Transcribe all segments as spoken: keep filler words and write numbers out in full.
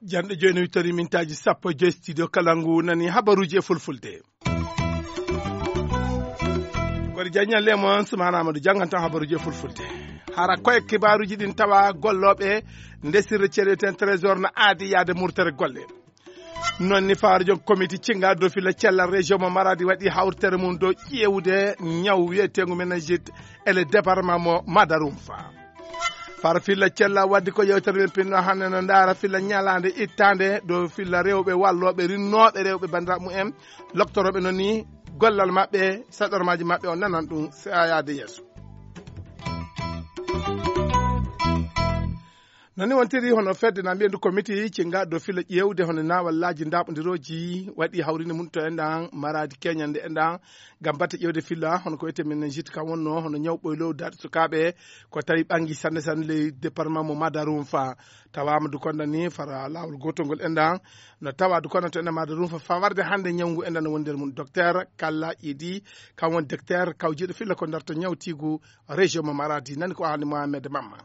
Janɗo jooni wittori mintaaji sappo e joy studio kala ngu nani habaruuji e fulfulde. Koɗo jaññal le mon Sumaana Amadou jannganto habaruuji e fulfulde. Hara koye kibaaruuji ɗin tawa gollooɓe nde sirre ceeɗe ten trésor no aadi yaade murtere golle. Noon ni faaro joom komiti cinga dow filla cella région mo Maradi waɗi hawritere mum dow ƴeewude ñaw wiyeteengu meningite e le département mo Madarumfa. Far filla cella waddi ko yewtere men pinno hannde no ndaara filla ñalaande ittaande dow filla rewɓe wallooɓe rinnooɓe rewɓe banndiraaɓe mumen loktorooɓe noon ni gollal maɓɓe saɗormaaji maɓɓe o nanan ɗum yaade yeeso. Noon ni wontiri hono fedde na mbiyendu komiti cinga dow filla ƴeewde hono naawallaaji ndaaɓondirooji waɗi hawrinde mum to enɗan Maradi keñande enɗan ngam batte ƴeewde filla hono ko wiyetee meningite kam wonno hono ñaw ɓoylow daɗi sukaaɓe ko tawi ɓangi sanne sanne ley département mo Madarumfa. Tawaama du konda ni fara laawol gootol ngol enɗan no tawa du konda to enɗan Madarumfa fa warde hannde ñaw ngu enɗan no woni nder mum docteur Kalla Idi kam woni docteur kawjiiɗo filla ko darto ñawtiigu région mo Maradi nani ko haalni Mohamed Mamma.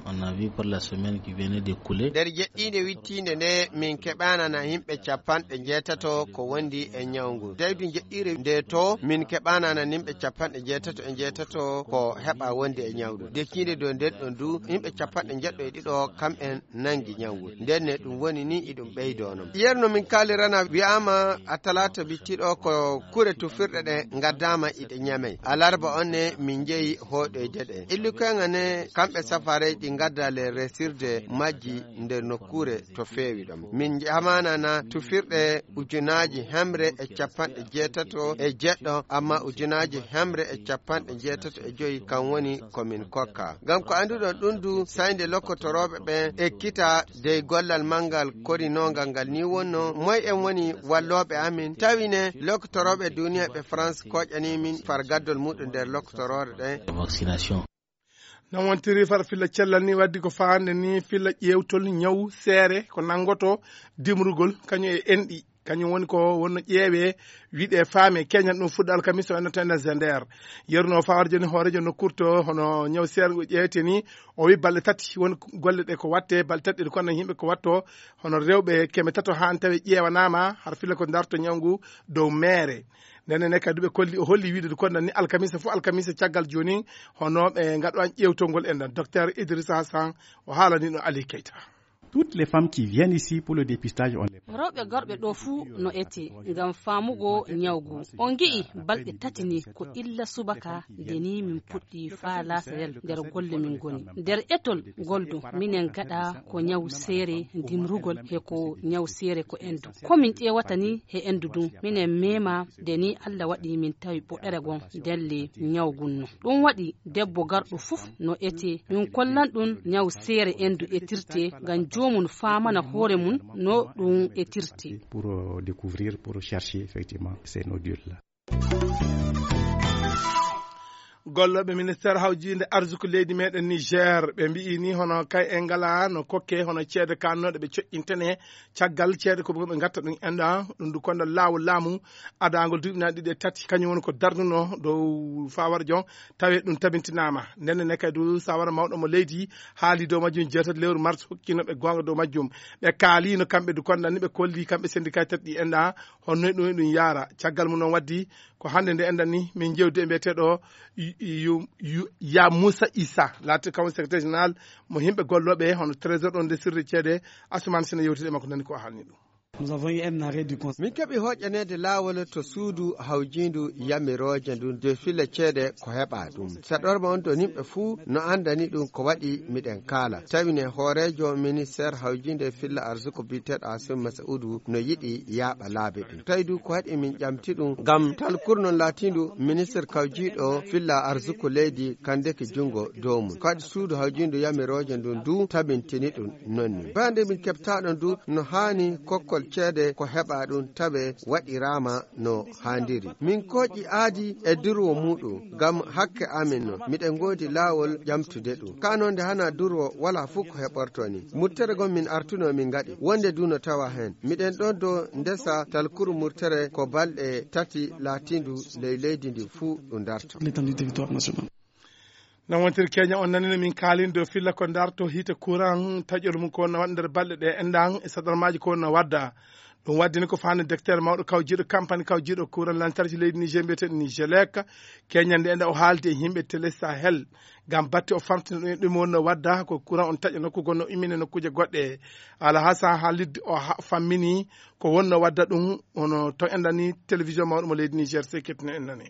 On a vu pour la semaine qui venait de couler. Nder jeɗɗiinde wittiinde nde min keɓaanana yimɓe capanɗe njeetato ko wondi e ñawngu. Tawi du jeɗɗiire nde to min keɓaanana yimɓe capanɗe njeetato e njeetato ko heɓa wondi e ñawngu. Dekiinde dow nden ɗon du yimɓe capanɗe njeɗɗo e ɗiɗo kamɓen nangi ñawngu. Nden ne ɗum woni ni iɗum ɓeydo non. Yerno min kaalirana wi'aama a talaata bittiɗo ko kure tufirɗe ɗe ngaddaama iɗe ñamey. Alarba on ne min njeyi hooɗoyde ɗe. Illukoyŋa ne kamɓe safaarey ɗi ngadda le resirde majji nder nokkuure to feewi ɗon. Min jamanana tufirɗe ujunaaji hemre e capanɗe jeetato e jeɗɗo, amma ujunaaji hemre e capanɗe jeetato e joyi kan woni ko min kokka. Ngam ko annduɗon ɗum du, saynde lokkotorooɓe ɓen ekkita dey gollal manngal korinoongal ngal ni wonno, moy en woni wallooɓe amin? Tawi ne lokkotorooɓe duniya ɓe France koƴani min far gaddol muɗum nder lokkotoroore ɗen. Vaccination. Non wontiri far filla cellal ni waddi ko faande ni filla ƴeewtol ñaw seere ko nanngoto dimrugol kañum e enɗi. Kañum woni ko wonno ƴeewe wiɗe faame keñal ɗum fuɗɗo alkamisa o ennoto enen zender. Yerno fawar joni hoorejo nokkurto hono ñaw seere ngo ƴeewete ni o wi balɗe tati woni golle ɗe ko watte balɗe tati ɗe kono yimɓe ko watto hono rewɓe keme tato haan tawi ƴeewanama har filla ko darto ñaw ngu dow meere. Ndenne ne kadi ɓe kolli o holli wiide ko nanni alkamisa fof alkamisa caggal joni hono ɓe ngaɗo an ƴeewtol ngol enɗan docteur Idrissa Hassan o haalani no Ali Keita. Toutes les femmes qui viennent ici pour le dépistage, on les rewɓe gorɓe ɗo fuu no ete ngam faamugo ñawgu. On ngi'i balɗe tati ni ko illa subaka nde ni min puɗɗi faa laasarel nder golle min ngoni. Nder etol ngol du minen gaɗa ko ñaw seere dimrugol he ko ñaw seere ko endu. Ko min ƴeewata ni he endu dun minen meema nde ni Allah waɗi min tawi ɓoɗere gon ndelle ñaw gun no. Ɗum waɗi debbo garɗo fof no ete. Min kollan ɗum ñaw seere endu etirte ngam joomum faamana hoore mum no ɗum etirte. Pour euh, découvrir, pour chercher effectivement ces nodules-là. Gollooɓe ministeer hawjiinde arsuku leydi meɗen Niger ɓe mbi'i ni hono kay en ngala no kokke hono ceede kannooɗe ɓe coƴƴintene caggal ceede ko ɓe ngatta ɗum enɗa ɗum du konda laawol laamu adangol duuɓi na ɗiɗi e tati kañum woni ko darnuno dow fawar jon tawe ɗum tabintinama ndenne ne kay du sawara mawɗo mo leydi haali dow majjum jeetati lewru mars hokkinoɓe gonga dow majjum ɓe kaalino kamɓe du konda ni ɓe kolli kamɓe syndicat tati ɗi enɗa honno ɗum ɗum yaara caggal mum noon waddi ko hannde nde enɗan ni min jewdi e mbiyeteɗo ya moussa issa laati kam secrétaire général mo yimɓe gollooɓe hono trésor ɗon nde sirri ceede asuman sina yewtide makko nani ko haalni ɗum. Nous avons eu un arrêt du conseil. Min keɓi hoƴƴaneede laawol to suudu hawjiindu yamirooje ndun de filla ceede ko heɓa ɗum saɗorma on to nimɓe fuu no anndani ɗum ko waɗi miɗen kaala tawi ne hooreejo ministeer hawjiinde filla arsuko biyeteeɗo asim masaudu no yiɗi yaaɓa laabi ɗum tawi du ko waɗi min ƴamti ɗum ngam talkurnon laatiindu ministeer kawjiiɗo filla arsuko leydi kandeke junngo dow mum kadi suudu hawjiindu yamirooje ndun du tabintini ɗum nonni bande min keɓtaaɗon du no haani kokkol ceede ko heɓa ɗum tawe waɗiraama no haandiri. Min kooƴi aadi e durwo muuɗum ngam hakke amin no. Miɗen ngoodi laawol ƴamtude ɗum. Ka noon nde hana durwo wala fof ko heɓorto ni. Murtere gon min artuno min ngaɗi. Wonde du no tawa heen. Miɗen ɗon do ndesa talkuru murtere ko balɗe tati laatindu ley leydi ndi fuu ɗum darto. L'étendue du territoire national. No wontiri Kenya, on nani no min kaalin dow filla ko darto hiite courant, taƴol mum ko wonno waɗa nder balɗe ɗe enɗan e saɗarmaaji ko wonno wadda. Ɗum waddini ko fani docteur mawɗo kawjiiɗo campagne kawjiiɗo courant lantarki leydi Niger mbiyeteɗo Nigelec. Kenya nde enɗa o haaldi e yimɓe Télé Sahel ngam batte o famtina ɗum e ɗum wonno wadda ko courant on taƴa nokku gonno immine nokkuuje goɗɗe. Alhassan Halid o ha-, fammini ko wonno wadda ɗum, ono to enɗani télévision mawɗo mo leydi Niger seketino en nani.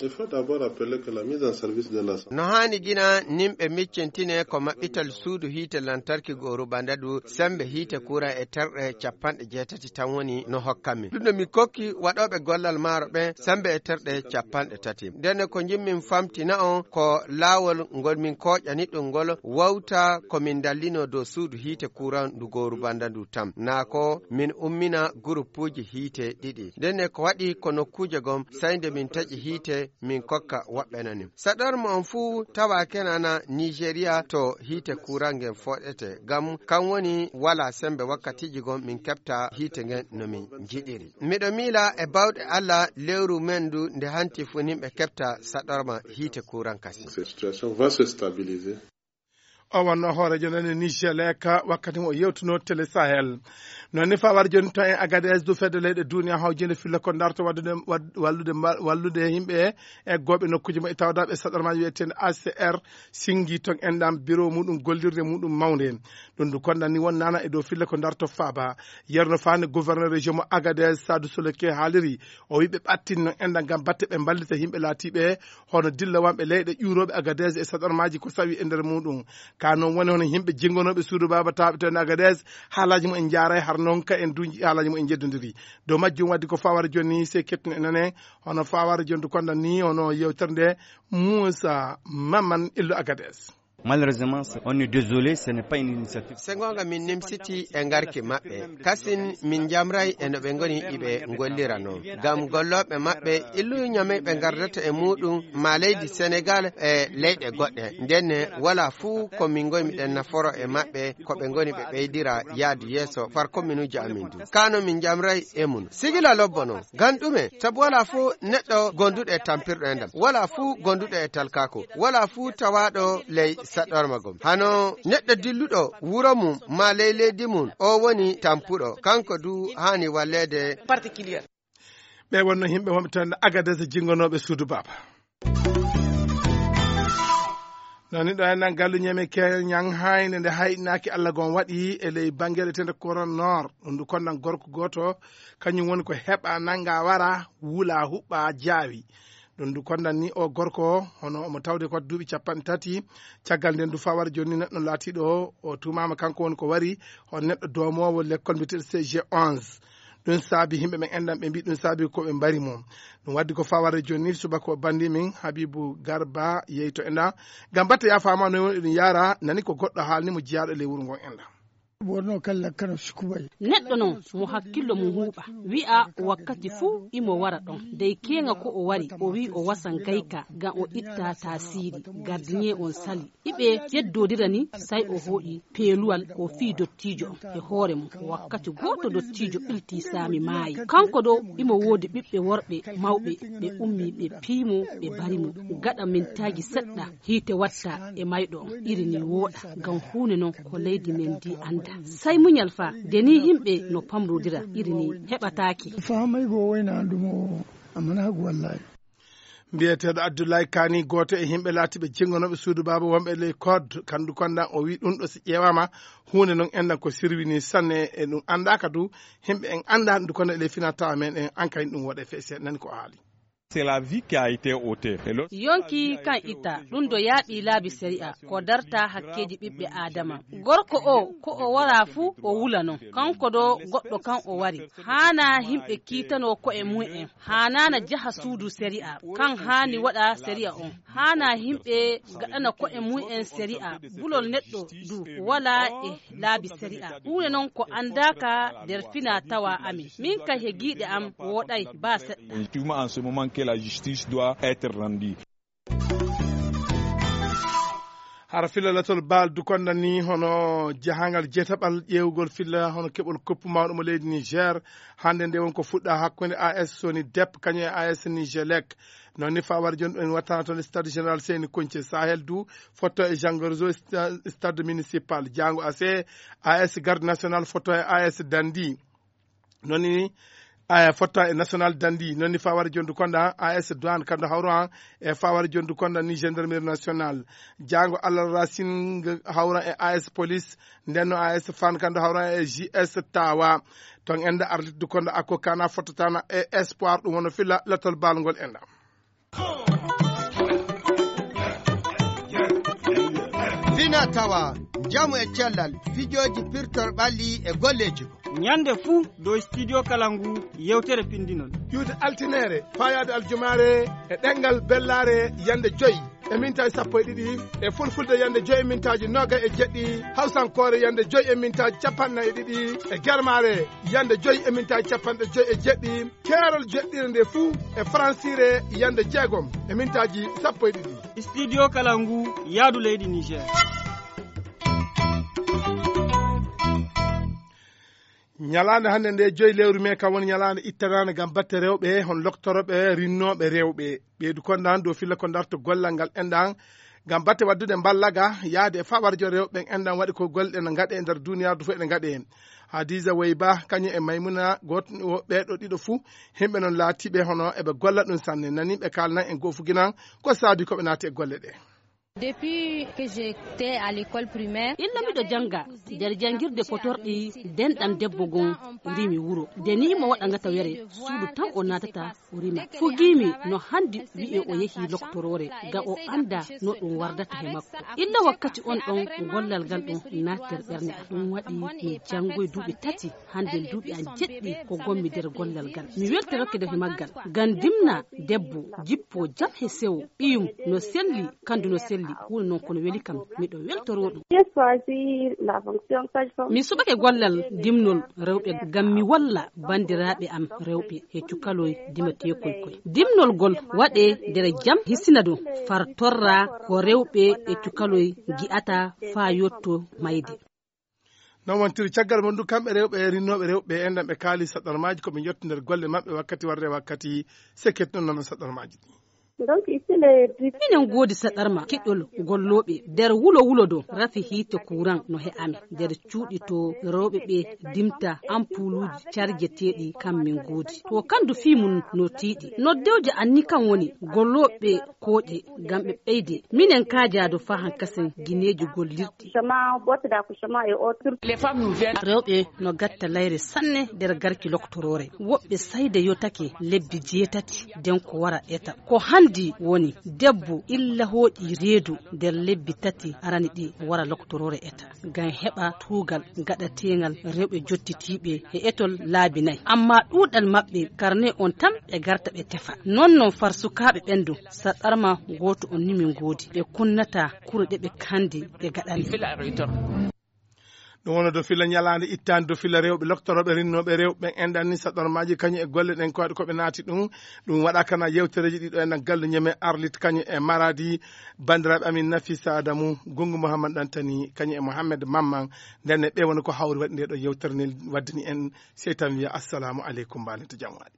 Il faut d'abord rappeler que la mise en service de la No haani gina nimɓe miccintine ko maɓɓital suudu hiite lantarki gooru bandadu sembe hiite kuran e terɗe capanɗe jeetati tan woni no hokkanmi. Ɗum no mi kokki waɗooɓe gollal maaro ɓen sembe e terɗe capanɗe tati. Ndenne ko njimmin famtina on ko laawol ngol min kooƴani ɗum ngol wawta ko min dallino dow suudu hiite kuran ndu gooru bandadu tan. Naa ko min ummina guruppuuji hiite ɗiɗi. Ndenne ko waɗi ko nokkuuje gom, say nde min taƴi hiite, min kokka woɓɓe nani. Saɗorma on fuu tawa kenana Nigeria to hiite kuran ngen fooɗete. Ngam kan woni wala sembe wakkatiiji gom min keɓta hiite ngen no min njiɗiri. Miɗo miila e bawɗe Allah lewru men ndu nde hanti fuu nimɓe keɓta saɗorma hiite kuran kasi. Cette situation va se stabiliser. O wonno hooreejo nani Niger leka wakkati mo o yewtuno Télé Sahel. Noon ni fawar jooni to en Agadez du fedde leyɗe duniya hawjinde filla ko darto waddude, wad-, wallude, mba-, wallude yimɓe e goɓe nokkuji maɓɓe tawdaɓe saɗarmaji wiyeteende A C R singi ton enɗam bureau muɗum gollirde muɗum mawnde. Ɗum du konɗan ni won nana e dow filla ko darto faaba. Yerno fani gouverneur région mo Agadez Sadou Soloke haaliri o wiɓe ɓattin no enɗam ngam batte ɓe mballita yimɓe laatiɓe hono dillowamɓe leyɗe ƴuurooɓe Agadez e saɗarmaaji ko sawi e nder muuɗum. Ka noon woni hono yimɓe jinngonooɓe suudu baaba taaɓe toon Agadez, haalaaji mum en njaaray har noon ka en duuji haalaaji mum en njeddondiri. Dow majjum waddi ko fawara jooni ni sey kettino e nane, hono fawara jooni du kondan ni, hono yewtere nde Moussa Maman Illo Agadez. Malheureusement, c'est- on est désolé, ce n'est pas une initiative. Se goonga min nimsiti e ngarki maɓɓe. Kasin min njamray e no ɓe ngoni iɓe ngollira noon. Ngam gollooɓe maɓɓe, illu ñame ɓe ngardata e muuɗum, maa leydi Senegal e leyɗe goɗɗe. Ndenne, wala fuu ko min ngoymi ɗen naforo e maɓɓe, ko ɓe ngoni ɓe ɓeydira yaadu yeeso far komminuuji amin du. Kano min njamray e mum. Sigila lobbo noon. Ngam ɗume? Sabu wala fuu neɗɗo gonduɗo e tampirɗo e ndam. Wala fuu gonduɗo e talkako. Wala fuu tawaaɗo ley saɗɗorma gom. Hano neɗɗo dilluɗo wuro mum maa ley leydi mum, o woni tampuɗo. Kanko du haani walleede. Particulier. Ɓe wonno yimɓe wonɓe toon Agadez jinngonooɓe suudu baaba. Nani ɗo en nan gallu ñeme keñan hayne nde hayɗinaaki Allah gon waɗi e ley bangere tende Koran Nord. Ɗum du kondan gorko gooto, kañum woni ko heɓa nanga wara wula huɓɓa jaawi. Ɗum du kondan ni o gorko, hono omo tawde ko duuɓi capanɗe tati. Caggal nden du fawar jooni neɗɗo laatiiɗo o tuumaama kanko woni ko wari, on neɗɗo doomoowo lekkol mbiyeteeɗo C G onze. Ɗum saabi yimɓe men enɗan ɓe mbi ɗum saabi ko ɓe mbari mo. Ɗum waddi ko fawar jooni subaka o bandi min Habibu Garba yeyto enɗan. Ngam batte yaafaama no woni ɗum yaara, nani ko goɗɗo haalni mo jiyaaɗo e ley wuro ngon enɗan. Borno kala kano sukubay. Neɗɗo noon mo hakkillo mum huuɓa, wi'a wakkati fuu imo wara ɗon. Dey keeŋa ko o wari, o wi'i o wasa ngayka ngam o itta taasiiri. Gardien on sali. Iɓe yeddoodira ni, say o hooƴi peeluwal o fii dottiijo on e hoore mum. Wakkati gooto dottiijo ɓiltii saami maayi. Kanko ɗo imo woodi ɓiɓɓe worɓe mawɓe, ɓe ummii ɓe pii mo, ɓe mbari mo. Gaɗa mintaaji seɗɗa, hiite watta e mayɗo on, iri ni wooɗa, ngam huunde non ko leydi men ndi annda. Say muñal fa, de ni yimɓe no pamrodira, iri ni heɓataake. Faamay go wayna ɗum o, amma na hagu wallahi. Mbiyeteeɗo Abdoulaye Kani, gooto e yimɓe laatiiɓe jinngonooɓe suudu baaba wonɓe ley code, kandu kondan o wi ɗum ɗo si ƴeewaama, huunde non enɗan ko sirwini sanne e ɗum anndaaka du, yimɓe en annda ɗum kono e ley fina tawa men en an kay ɗum woɗe feese, nani ko o haali. C'est la vie qui a été ôtée. Et lorsque Yonki kan itta, ɗum do yaaɓi laabi sari'a, ko darta hakkeeji ɓiɓɓe Aadama. Gorko o, ko o wara fuu, o wula non. Kanko do goɗɗo kan o wari. Haana himɓe kiitanoo ko'e mum en. Haanaana jaha suudu sari'a. Kan haani waɗa sari'a on. Haana himɓe gaɗana ko'e mum en sari'a. Bulol neɗɗo du walaa e laabi sari'a. Huunde non ko anndaaka nder fina tawa amin. Min kay he giiɗe am wooɗay baa seɗɗa. Effectivement, en ce moment que la justice doit être rendue. Hara filla latol baal dukonda ni hono jahangal jeetaɓal ƴeewgol filla hono keɓol koppu mawɗo mo leydi Niger. Hannde nde won ko fuɗɗa hakkunde A S Soni Dep kañum e A S Nigelec. Noon ni fawar jon en wattana toon e stade général Seyni Koñce Sahel du fotto e Jangorzo sta-, stade municipal. Jango A C, A S Garde Nationale fotto e A S Dandi. Noon ni, a, fotto e National Dandi. Noon ni fawar jon du konda A S Douane kando hawro an e fawar jon du konda ni Gendarmerie Nationale. Jango Allah Racing hawra e A S Police. Ndenno A S Fan kando hawra e J S Tawa. Ton enda arlit du konda ako kana fototana e Espoir ɗum wono filla latol balngol enda. Fina tawa, njamu e cellal, fijooji pirtor ɓalli e golleeji ko. Ñande fuu dow Studio Kalangu yewtere pinndinol. Ƴuwde altineere, fayaade aljumaare, e ɗemngal bellaare yande joy e mintaaji sappo e ɗiɗi, e fulfulde yande joy e mintaaji noogay e jeɗɗi, hawsankoore yande joy e mintaaji capanɗe nayi e ɗiɗi, e germaare yande joy e mintaaji capanɗe joy e jeɗɗi, keerol joɗɗire nde fuu e faransiire yande jeegom e mintaaji sappo e ɗiɗi. Studio Kalangu, yaadu leydi Niger. Ñalaande hannde nde joyi lewru mee kam woni ñalaande ittanaande ngam batte rewɓe, hon loktorooɓe rinnooɓe rewɓe. Ɓeydu kondan dow filla ko darto gollal ngal enɗan ngam batte waddude mballaga yaade e fawarjo rewɓe ɓen enɗan waɗi ko golle ɗe no ngaɗe e nder duniyaaru fof ene ngaɗe. Hadiza Wayba kañum e Maymuna, gooto ɓeeɗo ɗiɗo fuu, himɓe noon laatiiɓe hono eɓe golla ɗum sanne. Nani ɓe kaalnan en goofuginan ko saabi ko ɓe naati e golle ɗe. Depuis que j'étais à l'école primaire, illa miɗo jannga nder janngirde potorɗi, denɗam debbo gom rimi wuro. Nde ni mo waɗa ngata were, suudu tan o naatata o rima. Fugiimi no hanndi wi'e o yehi loktoroore, ga o annda no ɗum wardata he makko. Illa wakkati on ɗon, gollal ngal ɗon naati nder ɓernde am. Ɗum waɗi mi janngoyi duuɓi tati. Hannde duuɓi an jeɗɗi ko ngonmi nder gollal ngal. Mi weltorake nder maggal. Ngam ndimna debbo, jippo jam he sewo, ɓiyum no selli, kandu no selli. Huunde noon kono weli kam, miɗo weltoroo ɗum. J'ai choisi la fonction sage-femme. Mi suɓake gollal dimnol rewɓe ngam mi walla banndiraaɓe am rewɓe he cukaloy dimateekoy koy. Dimnol ngol waɗee nder jam, hisina ɗum far torra ko rewɓe e cukaloy ngi'ata faa yotto mayde. Noon wontiri caggal mon du kamɓe rewɓe rinnooɓe rewɓe enɗan ɓe kaali saɗarmaaji ko ɓe njottu nder golle maɓɓe wakkati warde wakkati. Sekket noon nana saɗarmaaji ɗi. Donc ici les dix- Minen ngoodi saɗarma kiɗɗol gollooɓe nder wulo wulo do rafi hiite kuran no he amen nder cuuɗi to rewɓe ɓe dimta ampuluuji carjeteeɗi kam min ngoodi. To kandu fii mum no tiiɗi. Noddewje anni kan woni gollooɓe kooƴe ngam ɓe ɓeyde. Minen kaajaado faa hankasen gineeji gollirɗi. Accouchement, boîte d'accouchement et autres. Rewɓe no gatta layre sanne nder garki loktoroore. Woɓɓe sayde yotake lebbi jeetati den ko wara eta. Ko hanndi woni debbo illa hooƴi reedu nder lebbi tati arani ɗi wara loktoroore eta. Ngam heɓa tuugal gaɗateengal rewɓe jottitiiɓe he etol laabi nayi. Amma ɗuuɗal maɓɓe karne on tan ɓe garta ɓe tefa. Non non far sukaaɓe ɓen du saɗarma gooto on ni min ngoodi. Ɓe kunnata kure ɗe ɓe kandi ɓe gaɗani. Ɗum woni do filla ñalaande ittaande do filla rewɓe loktorooɓe rinnooɓe rewɓe ɓen enɗan ni saɗarmaaji kañum e golle ɗen ko waɗi ko ɓe naati ɗum. Ɗum waɗa kana yewtereeji ɗiɗo enɗan galle ñeme Arlit kañum e Maradi. Banndiraaɓe amin Nafisa Adamu, Gungu Mouhammad Ɗantani kañum e Mouhammad Mamman. Ndenne ɓe woni ko hawri waɗi nde ɗo yewtere nde waddini en sey tan wiya assalamu aleykum mbaalen to jam waali.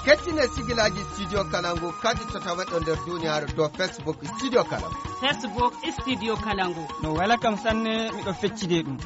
Kettine sigilaaji Studio Kalangu kadi to taweɗo nder duniyaaru dow Facebook Studio Kalangu. Facebook Studio Kalangu. No wela kam sanne, miɗo feccide ɗum.